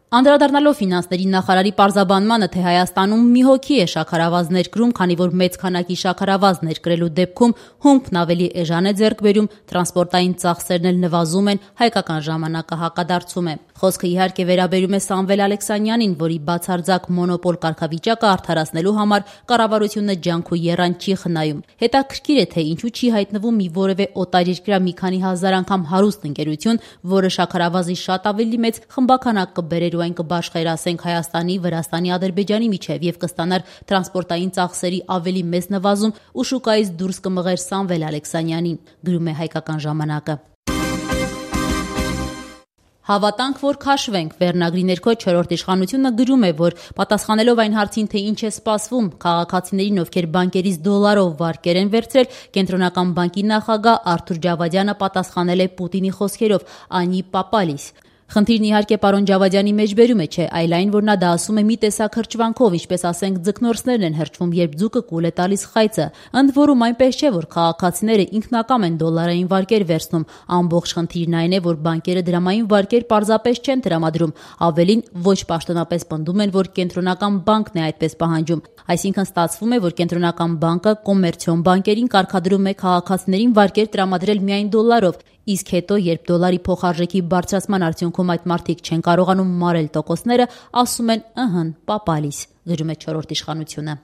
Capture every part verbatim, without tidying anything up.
Անդրադառնալով ֆինանսների նախարարի պարզաբանմանը, թե Հայաստանում մի հոգի է շաքարավազ ներկրում, քանի որ մեծ քանակի շաքարավազ ներկրելու դեպքում հումքն ավելի էժան է ձեռք բերում, տրանսպորտային ծախսերն էլ նվազում են, հայկական ժամանակը հակադարձում է։ Խոսքը իհարկե վերաբերում է Սամվել Ալեքսանյանին, որի բացարձակ մոնոպոլ կարգավիճակը արդարացնելու համար կառավարությունը ջանք ու եռան չի խնայում։ Հետաքրքիր է, թե ինչու չի հայտնվում մի որևէ օտարերկրյա մի քանի հազար անգամ հարուստ ընկերություն, որը շաքարավազի շատ ավելի մեծ խմբականակ կբերեր ու այն կբաշխերասենք Հայաստանի, Վրաստանի, Ադրբեջանի միջև եւ կստանար տրանսպորտային ծախսերի ավելի մեծ նվազում ու շուկայից դուրս կմղեր Սամվել Ալեքսանյանին, գրում է Հայկական ժամանակը։ Հավատանք, որ քաշվենք, վերնագրի ներքո չորրորդ իշխանությունը գրում է, որ պատասխանելով այն հարցին, թե ինչ է սպասվում քաղաքացիներին, ովքեր բանկերից դոլարով վարկեր են վերցրել, Կենտրոնական բանկի նախագահ Արթուր Ջավադյանը պատասխանել է Պուտինի խոսքերով՝ «Անի պապալիս»։ Խնդիրն իհարկե պարոն Ջավադյանի մեջբերում է, չէ, այլ այն, որ նա դա ասում է մի տեսակ հրճվանքով, ինչպես ասենք ձկնորսներն են հրճվում, երբ ձուկը կուլ է տալիս խայծը։ Ընդ որում այնպես չէ, որ քաղաքացիները ինքնակամ են դոլարային վարկեր վերցնում։ Ամբողջ խնդիրն այն է, որ բանկերը դրամային վարկեր պարզապես չեն տրամադրում, ավելին ոչ պաշտոնապես պնդում են, որ Կենտրոնական բանկն է այդպես պահանջում։ Այսինքն ստացվում է, որ Կենտրոնական բանկը կոմերցիոն բանկերին կարգադրում է քաղաքացիներին վարկեր տրամադրել միայն դոլարով, իսկ հետո, երբ դոլարի փոխարժեքի բարձրացման արդյունքում այդ մարդիկ չեն կարողանում մարել տոկոսները, ասում են «ըհն, պապալիս», գրում է չորրորդ իշխանությունը։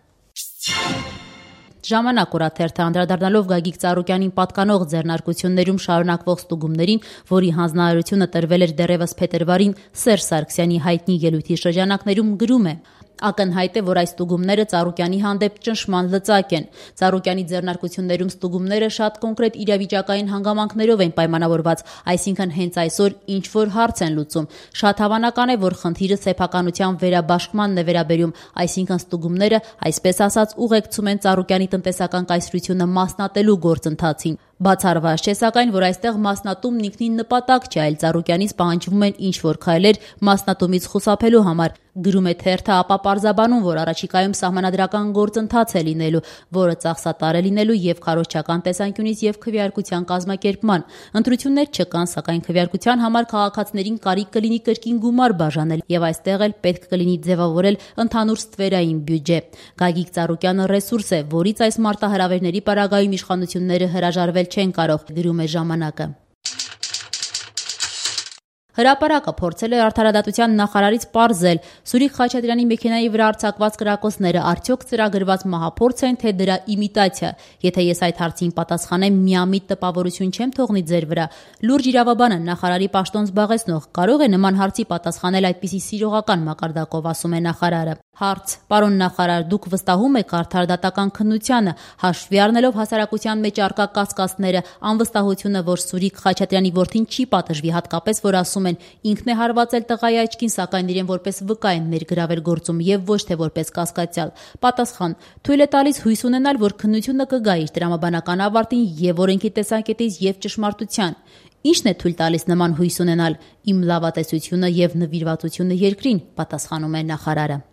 Ժամանակ օրաթերթը անդրադառնալով Գագիկ Ծառուկյանին պատկանող ձեռնարկություններում շարունակվող ստուգումներին, որի հանձնարարությունը տրվել էր դեռևս փետրվարին Սերժ Սարգսյանի հայտնի ելույթի շրջանակներում, գրում է. Ակնհայտ է, որ այս ստուգումները Ծառուկյանի հանդեպ ճնշման լծակ են։ Ծառուկյանի ձեռնարկություններում ստուգումները շատ կոնկրետ իրավիճակային հանգամանքներով են պայմանավորված, այսինքն հենց այսօր ինչ-որ հարց են լուծում։ Շատ հավանական է, որ խնդիրը սեփականության վերաբաշխմանն է վերաբերում, այսինքն ստուգումները, այսպես ասած, ուղեկցում են Ծառուկյանի տնտեսական կայսրությունը մասնատելու գործընթացին։ Բացառված չէ, սակայն, որ այստեղ մասնատումն ինքնին նպատակ չէ, այլ Ծառուկյանից պահանջվում են ինչ-որ քայլեր մասնատումից խուսափելու համար, գրում է թերթը, ապա պարզաբանում, որ առաջիկայում սահմանադրական գործընթաց է լինելու, որը ծախսատար է լինելու եւ քարոզչական տեսանկյունից եւ քվեարկության կազմակերպման։ Ընտրություններ չկան, սակայն քվեարկության համար քաղաքացիներին կարիք կլինի կրկին գումար բաժանել եւ այստեղ էլ պետք կլինի ձևավորել ընդհանուր ստվերային բյուջե։ Գագիկ Ծառուկյանը ռեսուրս է, որից այս մարտահրավերների պարագայում իշխանությունները հրաժարվել չեն կարող, գրում է ժամանակը։ Հրապարակը փորձել է արդարադատության նախարարից պարզել Սուրիկ Խաչատրյանի մեքենայի վրա արձակված կրակոցները արդյոք ծրագրված մահափորձ են, թե դրա իմիտացիա։ Եթե ես այդ հարցին պատասխանեմ, միամիտ տպավորություն չեմ թողնի ձեր վրա։ Լուրջ իրավաբանը, նախարարի պաշտոն զբաղեցնող, կարող է նման հարցի պատասխանել այդպիսի սիրողական մակարդակով, ասում է նախարարը։ Հարց. Պարոն նախարար, դուք վստահում եք արդարադատական քննությանը, հաշվի առնելով հասարակության մեջ առկա կասկածները, անվստահությունը, որ Սուրիկ Խաչատրյանի որդին չի պատժվի, հատկապես որ ասում են ինքն է հարվածել տղայի աչքին, սակայն իրեն որպես վկա են ներգրավել գործում եւ ոչ թե որպես կասկածյալ։ Պատասխան. թույլ է տալիս հույս ունենալ, որ քննությունը կգա իր տրամաբանական ավարտին եւ օրենքի տեսակետից եւ ճշմարտության։ Ինչն է թույլ տալիս նման հույս ունենալ։ Իմ լավատեսությունը եւ նվիրվածությունը երկրին, պատասխանում է նախարարը։